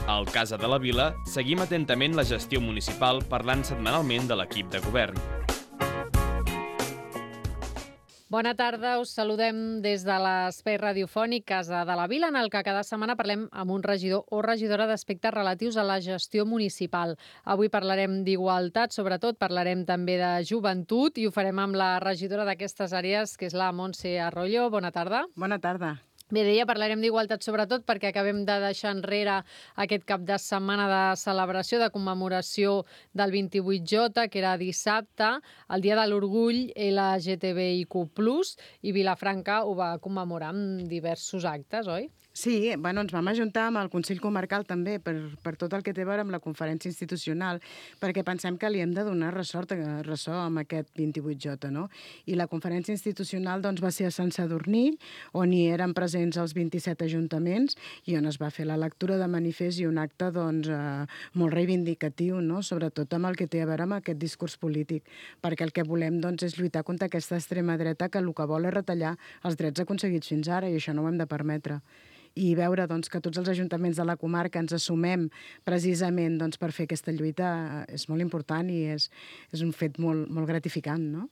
Al Casa de la Vila seguim atentament la gestió municipal parlant setmanalment de l'equip de govern. Bona tarda, us saludem des de l'espai radiofònic Casa de la Vila, en el que cada setmana parlem amb un regidor o regidora d'aspectes relatius a la gestió municipal. Avui parlarem d'igualtat, sobretot parlarem també de joventut i ho farem amb la regidora d'aquestes àrees, que és la Montse Arroyo. Bona tarda. Bona tarda. Bé, deia, parlarem d'igualtat sobretot perquè acabem de deixar enrere aquest cap de setmana de celebració, de commemoració del 28J, que era dissabte, el Dia de l'Orgull LGTBIQ+, i Vilafranca ho va commemorar amb diversos actes, oi? Sí, ens vam ajuntar amb el Consell Comarcal també per tot el que té a veure amb la conferència institucional, perquè pensem que li hem de donar ressò amb aquest 28J, no? I la conferència institucional va ser a Sant Sadurní, on hi eren presents els 27 ajuntaments i on es va fer la lectura de manifest i un acte molt reivindicatiu, no? Sobretot amb el que té a veure amb aquest discurs polític, perquè el que volem és lluitar contra aquesta extrema dreta que el que vol és retallar els drets aconseguits fins ara i això no ho hem de permetre. I veure que tots els ajuntaments de la comarca ens assumem precisament per fer aquesta lluita és molt important i és un fet molt, molt gratificant, no?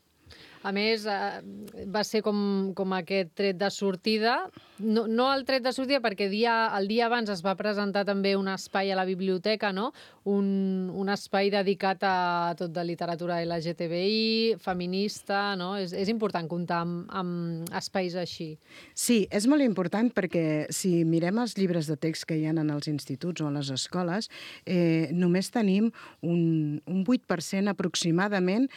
A més, va ser com aquest tret de sortida. No el tret de sortida, perquè el dia abans es va presentar també un espai a la biblioteca, no? Un espai dedicat a tot de literatura LGTBI, feminista, no? És important comptar amb espais així. Sí, és molt important perquè si mirem els llibres de text que hi ha en els instituts o a les escoles, només tenim un 8% aproximadament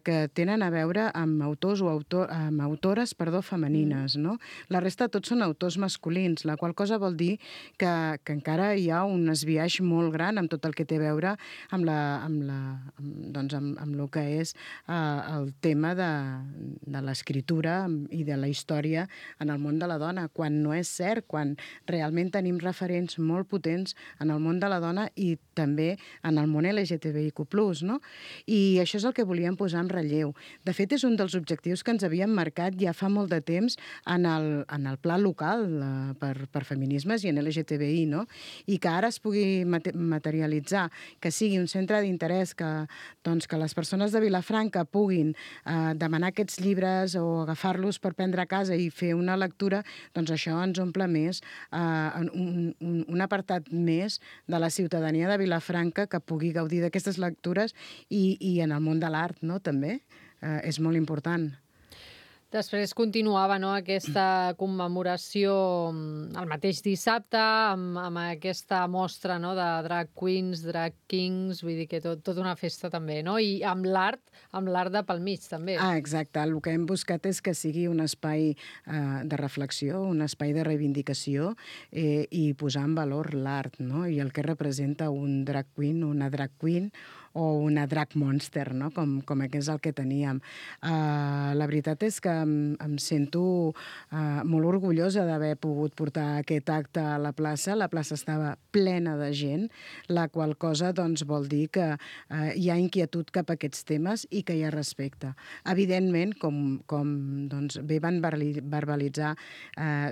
que tenen a veure amb autors o amb autores femenines, no? La resta tots són autors masculins, la qual cosa vol dir que encara hi ha un esbiaix molt gran amb tot el que té a veure amb el que és el tema de l'escriptura i de la història en el món de la dona, quan no és cert, quan realment tenim referents molt potents en el món de la dona i també en el món LGTBIQ+, no? I això és el que volíem posar en relleu. De fet, és un dels objectius que ens havíem marcat ja fa molt de temps en el pla local per feminismes i en LGTBI, no? I que ara es pugui materialitzar, que sigui un centre d'interès, que les persones de Vilafranca puguin demanar aquests llibres o agafar-los per prendre a casa i fer una lectura, doncs això ens omple més un apartat més de la ciutadania de Vilafranca que pugui gaudir d'aquestes lectures i en el món de l'art, no?, també. És molt important. Després continuava, no, aquesta commemoració el mateix dissabte amb aquesta mostra, no, de drag queens, drag kings, vull dir que tot una festa també, no? I amb l'art de pel mig també. Exacte. El que hem buscat és que sigui un espai de reflexió, un espai de reivindicació i posar en valor l'art, no? I el que representa un drag queen, una drag queen o una drag monster, no? Com és el que teníem. La veritat és que em sento molt orgullosa d'haver pogut portar aquest acte a la plaça. La plaça estava plena de gent, la qual cosa vol dir que hi ha inquietud cap a aquests temes i que hi ha respecte. Evidentment, com bé van verbalitzar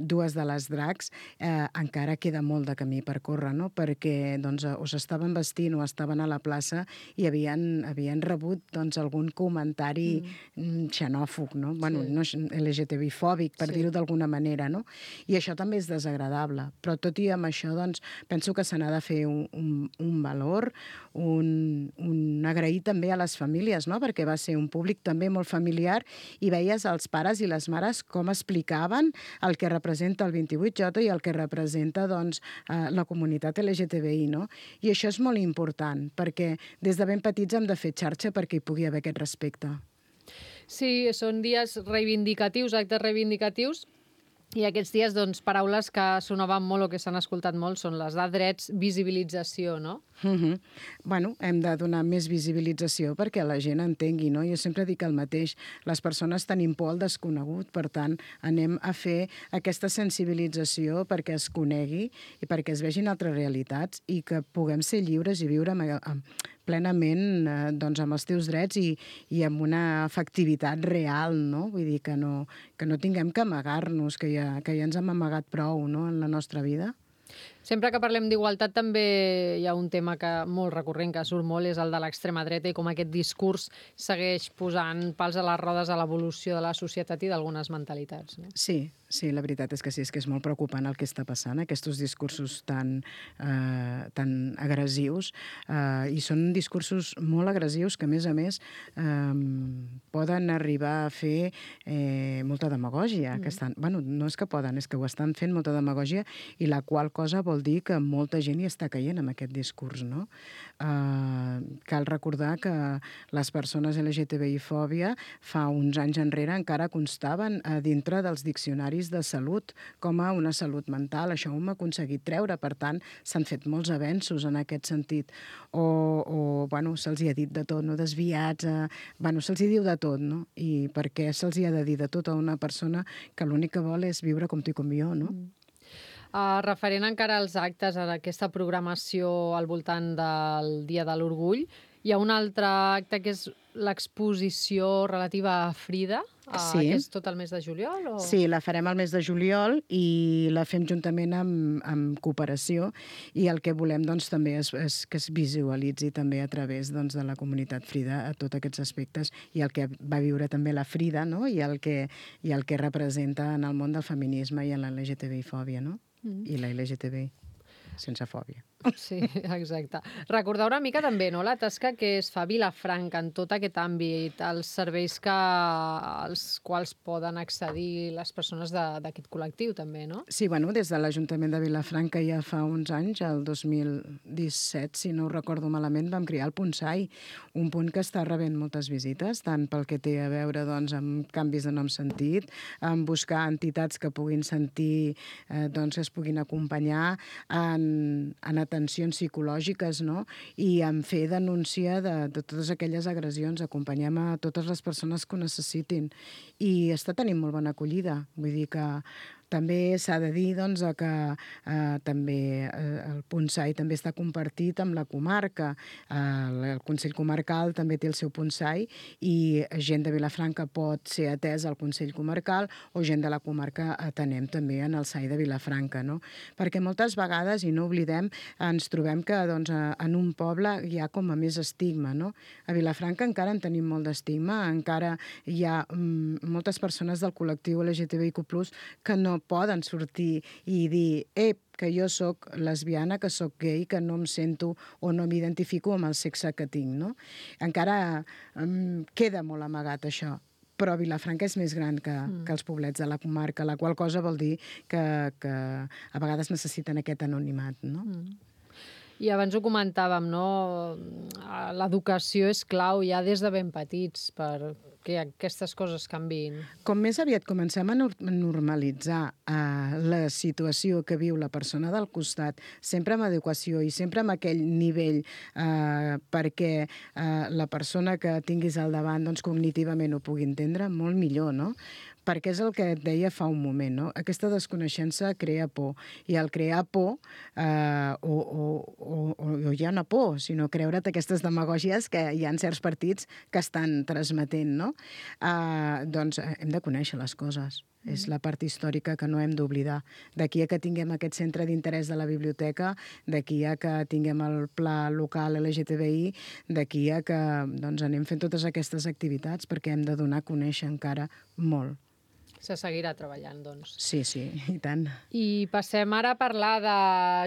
dues de les drags, encara queda molt de camí per córrer, no? Perquè o s'estaven vestint o estaven a la plaça i havien rebut algun comentari xenòfob, no? Bueno, no LGTBI-fòbic, per dir-ho d'alguna manera, no? I això també és desagradable. Però tot i amb això, penso que se n'ha de fer un valor, un agrair també a les famílies, no? Perquè va ser un públic també molt familiar i veies els pares i les mares com explicaven el que representa el 28J i el que representa la comunitat LGTBI, no? I això és molt important, perquè des de ben petits hem de fer xarxa perquè hi pugui haver aquest respecte. Sí, són dies reivindicatius, actes reivindicatius, i aquests dies, paraules que sonaven molt o que s'han escoltat molt són les de drets, visibilització, no? Bueno, hem de donar més visibilització perquè la gent entengui, no? Jo sempre dic el mateix, les persones tenim por al desconegut, per tant, anem a fer aquesta sensibilització perquè es conegui i perquè es vegin altres realitats i que puguem ser lliures i viure plenament amb els teus drets i amb una efectivitat real, no? Vull dir que no tinguem que amagar-nos, que ja ens hem amagat prou, no?, en la nostra vida. Sempre que parlem d'igualtat també hi ha un tema molt recurrent que surt molt, és el de l'extrema dreta i com aquest discurs segueix posant pals a les rodes a l'evolució de la societat i d'algunes mentalitats. No? Sí, la veritat és que sí, és que és molt preocupant el que està passant, aquests discursos tan agressius, i són discursos molt agressius que, a més, poden arribar a fer molta demagògia. No és que poden, és que ho estan fent molta demagògia, i la qual cosa vol dir que molta gent hi està caient amb aquest discurs, no? Cal recordar que les persones LGTBI-fòbia fa uns anys enrere encara constaven dintre dels diccionaris de salut com a una salut mental. Això ho hem aconseguit treure, per tant, s'han fet molts avenços en aquest sentit. Se'ls hi ha dit de tot, no? Desviats, se'ls hi diu de tot, no? I per què se'ls hi ha de dir de tot a una persona que l'únic que vol és viure com tu i com jo, no? Referent encara als actes, a aquesta programació al voltant del Dia de l'Orgull, hi ha un altre acte que és l'exposició relativa a Frida, que és tot el mes de juliol? Sí, la farem al mes de juliol i la fem juntament amb Cooperació, i el que volem també és que es visualitzi també a través de la comunitat Frida a tots aquests aspectes, i el que va viure també la Frida, no? I el que representa en el món del feminisme i en la LGTBI-fòbia, no? I la LGTBI sense fòbia. Sí, exacte. Recordar una mica també, no?, la tasca que es fa a Vilafranca en tot aquest àmbit, els serveis als quals poden accedir les persones d'aquest col·lectiu també, no? Sí, des de l'Ajuntament de Vilafranca ja fa uns anys, el 2017, si no ho recordo malament, vam crear el Punsai, un punt que està rebent moltes visites, tant pel que té a veure amb canvis de nom sentit, amb buscar entitats que puguin sentir, que es puguin acompanyar en atencions psicològiques, no? I en fer denúncia de totes aquelles agressions. Acompanyem a totes les persones que ho necessitin. I està tenint molt bona acollida. Vull dir que també s'ha de dir que també el Punsai també està compartit amb la comarca. El Consell Comarcal també té el seu Punsai, i gent de Vilafranca pot ser atès al Consell Comarcal, o gent de la comarca atenem també en el SAI de Vilafranca, no? Perquè moltes vegades, i no oblidem, ens trobem que en un poble hi ha com a més estigma, no? A Vilafranca encara en tenim molt d'estigma, encara hi ha moltes persones del col·lectiu LGTBIQ+, que no poden sortir i dir que jo sóc lesbiana, que sóc gay, que no em sento o no m'identifico amb el sexe que tinc, no? Encara queda molt amagat això, però Vilafranca és més gran que els poblets de la comarca, la qual cosa vol dir que a vegades necessiten aquest anonimat, no? I abans ho comentàvem, no? L'educació és clau ja des de ben petits perquè aquestes coses canviïn. Com més aviat comencem a normalitzar la situació que viu la persona del costat, sempre amb educació i sempre amb aquell nivell, perquè la persona que tinguis al davant cognitivament ho pugui entendre, molt millor, no? Perquè és el que et deia fa un moment, no? Aquesta desconeixença crea por, i al crear por, o ja no por, sinó creure't aquestes demagògies que hi ha certs partits que estan transmetent, no? Doncs hem de conèixer les coses. És la part històrica que no hem d'oblidar. D'aquí a que tinguem aquest centre d'interès de la biblioteca, d'aquí a que tinguem el pla local LGTBI, d'aquí a que anem fent totes aquestes activitats, perquè hem de donar a conèixer encara molt. Se seguirà treballant, doncs. Sí, i tant. I passem ara a parlar de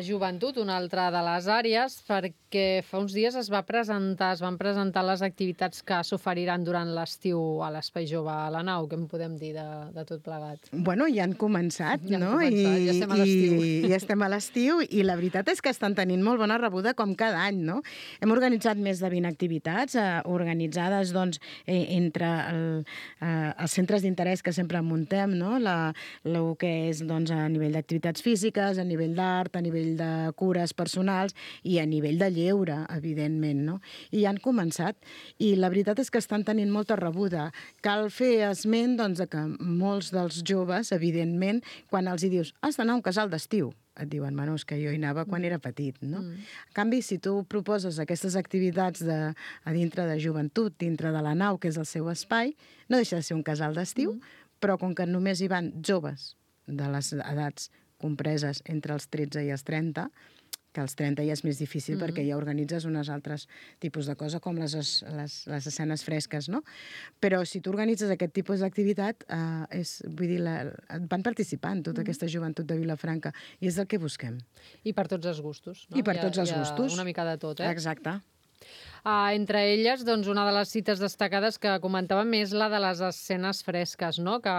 joventut, una altra de les àrees, perquè fa uns dies es van presentar les activitats que s'oferiran durant l'estiu a l'Espai Jove a la Nau. Què en podem dir de tot plegat? Bueno, ja han començat, no? Ja estem a l'estiu. Ja estem a l'estiu, i la veritat és que estan tenint molt bona rebuda com cada any, no? Hem organitzat més de 20 activitats, organitzades entre els centres d'interès que sempre muntem, no? El que és a nivell d'activitats físiques, a nivell d'art, a nivell de cures personals i a nivell de lleure, evidentment, no? I han començat, i la veritat és que estan tenint molta rebuda. Cal fer esment que molts dels joves, evidentment, quan els hi dius has d'anar a un casal d'estiu, et diuen, és que jo hi anava quan era petit, no? En canvi, si tu proposes aquestes activitats a dintre de joventut, dintre de la Nau, que és el seu espai, no deixa de ser un casal d'estiu, però com que només hi van joves de les edats compreses entre els 13 i els 30, que als 30 ja és més difícil perquè ja organitzes unes altres tipus de cosa, com les escenes fresques, no? Però si tu organitzes aquest tipus d'activitat, vull dir, van participar en tota aquesta joventut de Vilafranca, i és el que busquem. I per tots els gustos, no? I per tots els gustos. Una mica de tot, Exacte. Entre elles, doncs, una de les cites destacades que comentàvem és la de les escenes fresques, no? Que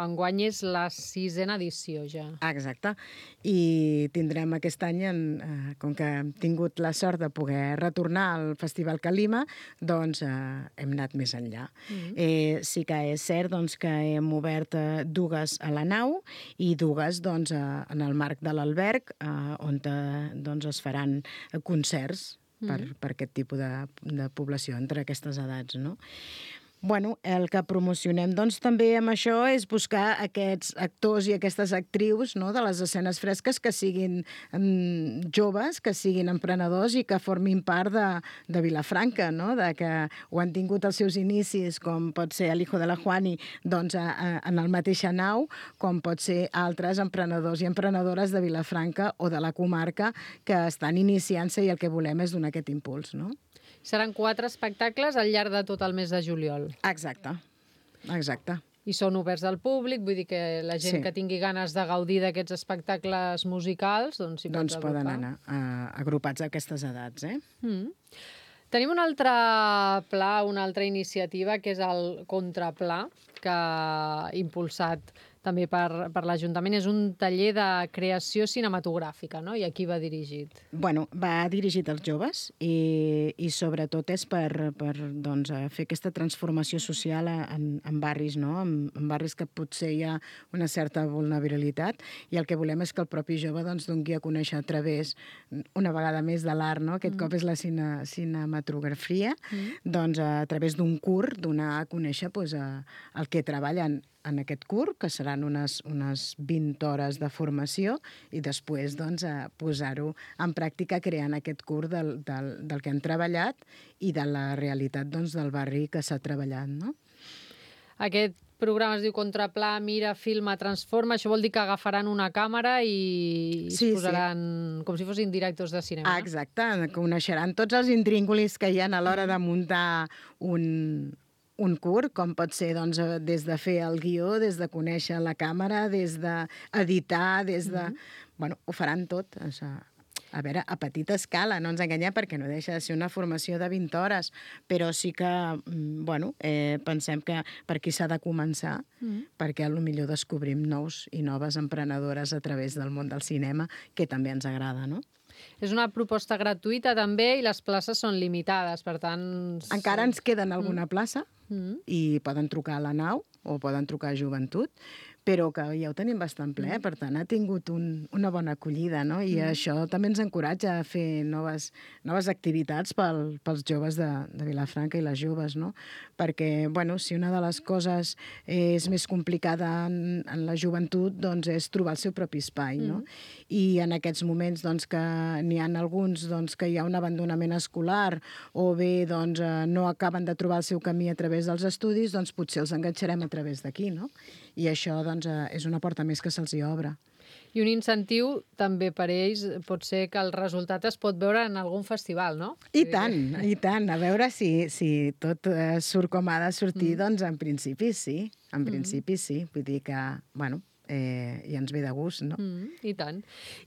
enguany és la 6a edició ja. Exacte. I tindrem aquest any, com que hem tingut la sort de poder retornar al Festival Calima, doncs hem anat més enllà. Sí que és cert doncs, que hem obert dues a la nau i dues doncs, en el marc de l'alberg, on doncs, es faran concerts per aquest tipus de població, entre aquestes edats, no? Bueno, el que promocionem doncs, també amb això és buscar aquests actors i aquestes actrius, no?, de les escenes fresques que siguin joves, que siguin emprenedors i que formin part de Vilafranca, no?, de que ho han tingut els seus inicis, com pot ser el hijo de la Juani, doncs, en el mateixa nau, com pot ser altres emprenedors i emprenedores de Vilafranca o de la comarca que estan iniciant-se i el que volem és donar aquest impuls, no? Seran 4 espectacles al llarg de tot el mes de juliol. Exacte. I són oberts al públic, vull dir que la gent que tingui ganes de gaudir d'aquests espectacles musicals, doncs s'hi pot agrupar. Poden anar agrupats a aquestes edats, Tenim un altre pla, una altra iniciativa, que és el Contrapla, que ha impulsat també per l'Ajuntament. És un taller de creació cinematogràfica, no? I a qui va dirigit? Bueno, va dirigit als joves i sobretot és per doncs, fer aquesta transformació social en barris, no? En barris que potser hi ha una certa vulnerabilitat, i el que volem és que el propi jove doncs, doni a conèixer a través, una vegada més, de l'art, no? Aquest cop és la cinematografia, doncs a través d'un curt donar a conèixer doncs, el que treballen en aquest curt, que seran unes 20 hores de formació, i després doncs, posar-ho en pràctica creant aquest curt del que han treballat i de la realitat doncs, del barri que s'ha treballat, no? Aquest programa es diu Contrapla, mira, filma, transforma. Això vol dir que agafaran una càmera i es posaran com si fossin directors de cinema. Exacte, coneixeran tots els intríngulis que hi ha a l'hora de muntar un curt, com pot ser doncs, des de fer el guió, des de conèixer la càmera, des d'editar, des de... Bueno, ho faran tot. A veure, a petita escala, no ens enganyem, perquè no deixa de ser una formació de 20 hores, però sí que, bueno, pensem que per aquí s'ha de començar, perquè potser descobrim nous i noves emprenedores a través del món del cinema, que també ens agrada, no? És una proposta gratuïta també i les places són limitades, per tant... Encara ens queden alguna plaça i poden trucar a la nau o poden trucar a Joventut, però que ja ho tenim bastant ple, per tant ha tingut una bona acollida, no? I això també ens encoratja a fer noves activitats pels joves de Vilafranca i les joves, no? Perquè, bueno, si una de les coses és més complicada en la joventut, doncs és trobar el seu propi espai, no? I en aquests moments doncs, que n'hi ha alguns doncs, que hi ha un abandonament escolar o bé doncs, no acaben de trobar el seu camí a través dels estudis, doncs potser els enganxarem a través d'aquí, no? I això doncs, és una porta més que se'ls hi obre. I un incentiu també per ells pot ser que el resultat es pot veure en algun festival, no? I tant. A veure si tot surt com ha de sortir, doncs en principi sí. En principi sí. Vull dir que, bueno, i ens ve de gust, no? I tant.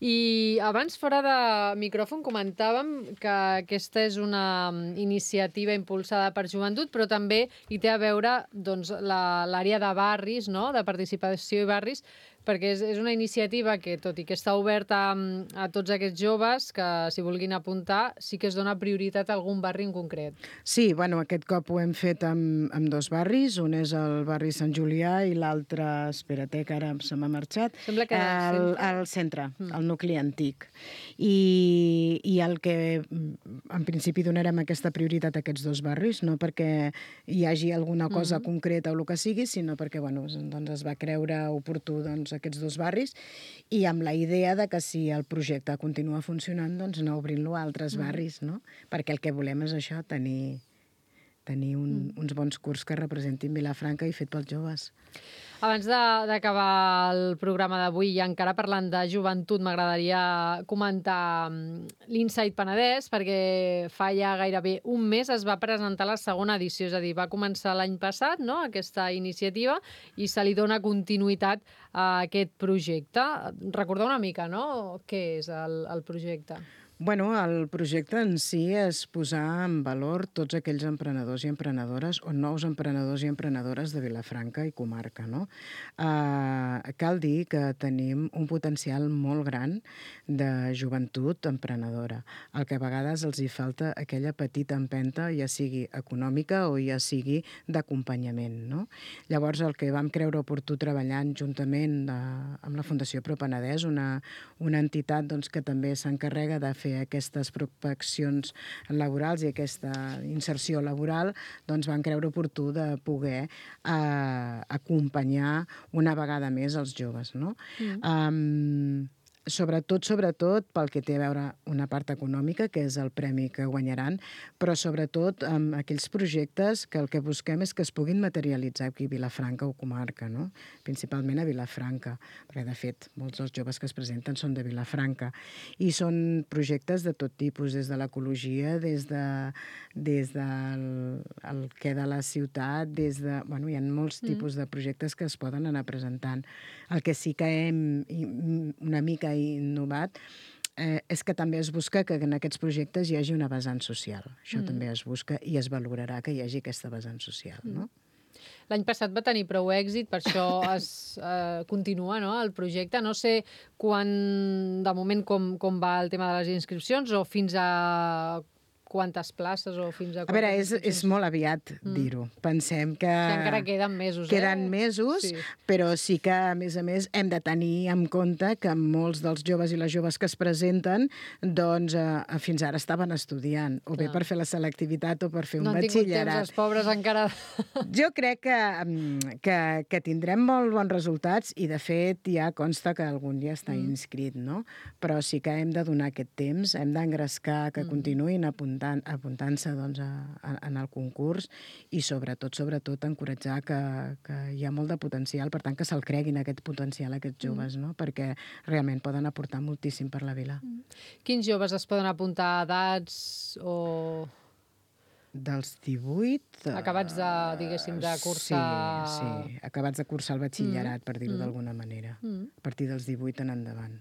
I abans, fora de micròfon, comentàvem que aquesta és una iniciativa impulsada per Joventut, però també hi té a veure doncs, l'àrea de barris, no?, de participació i barris, perquè és una iniciativa que, tot i que està oberta a tots aquests joves que s'hi vulguin apuntar, sí que es dona prioritat a algun barri en concret. Sí, bueno, aquest cop ho hem fet amb 2 barris. Un és el barri Sant Julià i l'altre, espera't, que ara se m'ha marxat, sembla que el centre, el nucli antic. I el que en principi donarem aquesta prioritat a aquests 2 barris, no perquè hi hagi alguna cosa concreta o el que sigui, sinó perquè bueno, doncs es va creure oportú aquests 2 barris, i amb la idea de que si el projecte continua funcionant, doncs anar obrint-lo a altres barris, no? Perquè el que volem és això, tenir tenir uns bons curs que representin Vilafranca i fet pels joves. Abans d'acabar el programa d'avui i encara parlant de joventut, m'agradaria comentar l'Insight Penedès, perquè fa ja gairebé un mes es va presentar la segona edició, és a dir, va començar l'any passat, no?, aquesta iniciativa, i se li dona continuïtat a aquest projecte. Recordar una mica, no?, què és el projecte. Bueno, el projecte en si és posar en valor tots aquells emprenedors i emprenedores o nous emprenedors i emprenedores de Vilafranca i comarca, no? Cal dir que tenim un potencial molt gran de joventut emprenedora, el que a vegades els hi falta aquella petita empenta, ja sigui econòmica o ja sigui d'acompanyament, no? Llavors, el que vam creure oportú treballant juntament amb la Fundació Pro Penedès, una entitat doncs, que també s'encarrega de fer aquestes prospeccions laborals i aquesta inserció laboral, doncs van creure oportú de poder acompanyar una vegada més els joves, no? Sobretot pel que té a veure una part econòmica, que és el premi que guanyaran, però sobretot amb aquells projectes que el que busquem és que es puguin materialitzar aquí a Vilafranca o comarca, no? Principalment a Vilafranca, perquè de fet molts dels joves que es presenten són de Vilafranca, i són projectes de tot tipus, des de l'ecologia, des del què de la ciutat, bueno, hi ha molts tipus de projectes que es poden anar presentant. El que sí que hem una mica innovat és que també es busca que en aquests projectes hi hagi una vessant social. Això també es busca i es valorarà que hi hagi aquesta vessant social, no? L'any passat va tenir prou èxit, per això es continua, no?, el projecte. No sé de moment com va el tema de les inscripcions o fins a quantes places o fins a... A veure, és molt aviat dir-ho. Pensem que... Que encara queden mesos, Queden mesos, sí. Però sí que, a més, hem de tenir en compte que molts dels joves i les joves que es presenten, doncs, fins ara estaven estudiant, o bé per fer la selectivitat o per fer un batxillerat. No han tingut temps, els pobres, encara... Jo crec que tindrem molt bons resultats i, de fet, ja consta que algun dia està inscrit, no? Però sí que hem de donar aquest temps, hem d'engrescar que continuïn apuntant-se doncs, en el concurs i sobretot encoratjar que hi ha molt de potencial, per tant que se'l creguin aquest potencial aquests joves, no? Perquè realment poden aportar moltíssim per la vila. Quins joves es poden apuntar a edats o... Dels 18... Acabats de cursar... Sí, acabats de cursar el batxillerat, per dir-ho d'alguna manera. A partir dels 18 en endavant.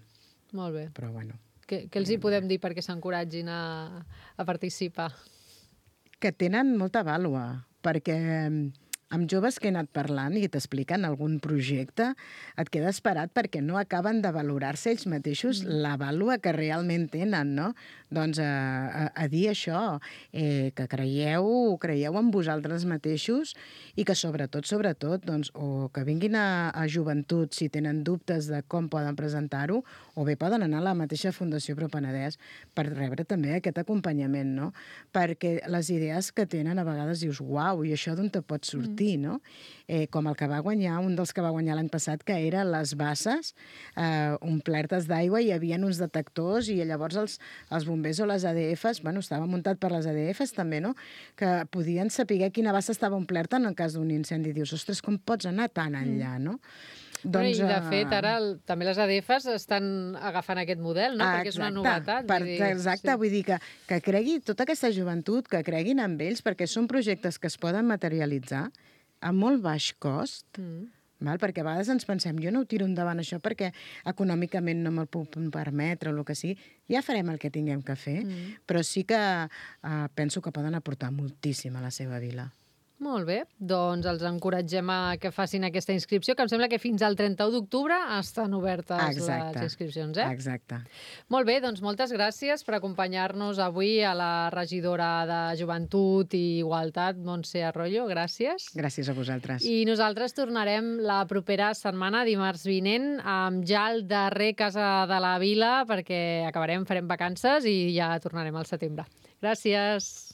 Molt bé. Però bueno... Què els hi podem dir perquè s'encoratgin a participar? Que tenen molta vàlua, perquè amb joves que he anat parlant i t'expliquen algun projecte, et quedes parat perquè no acaben de valorar-se ells mateixos la vàlua que realment tenen, no? Doncs a dir això, que creieu en vosaltres mateixos i que sobretot, doncs, o que vinguin a joventut si tenen dubtes de com poden presentar-ho, o bé poden anar a la mateixa Fundació Pro Penedès per rebre també aquest acompanyament, no? Perquè les idees que tenen a vegades dius, uau, i això d'on te pot sortir, no? Com el que va guanyar, un dels que va guanyar l'any passat, que era les basses omplertes d'aigua, hi havia uns detectors i llavors els bombers o les ADFs, bueno, estava muntat per les ADFs també, no?, que podien saber quina bassa estava omplerta en el cas d'un incendi. Dius, ostres, com pots anar tan enllà, no? Doncs, i de fet, ara també les ADFs estan agafant aquest model, no? Perquè és una novetat. Exacte, vull dir que cregui tota aquesta joventut, que creguin en ells, perquè són projectes que es poden materialitzar a molt baix cost, perquè a vegades ens pensem, jo no ho tiro endavant això perquè econòmicament no me'l puc permetre o el que sigui, ja farem el que tinguem que fer, però sí que penso que poden aportar moltíssim a la seva vila. Molt bé, doncs els encoratgem a que facin aquesta inscripció, que em sembla que fins al 31 d'octubre estan obertes les inscripcions, Exacte. Molt bé, doncs moltes gràcies per acompanyar-nos avui a la regidora de Joventut i Igualtat, Montse Arroyo, gràcies. Gràcies a vosaltres. I nosaltres tornarem la propera setmana, dimarts vinent, amb ja el darrer Casa de la Vila, perquè farem vacances i ja tornarem al setembre. Gràcies.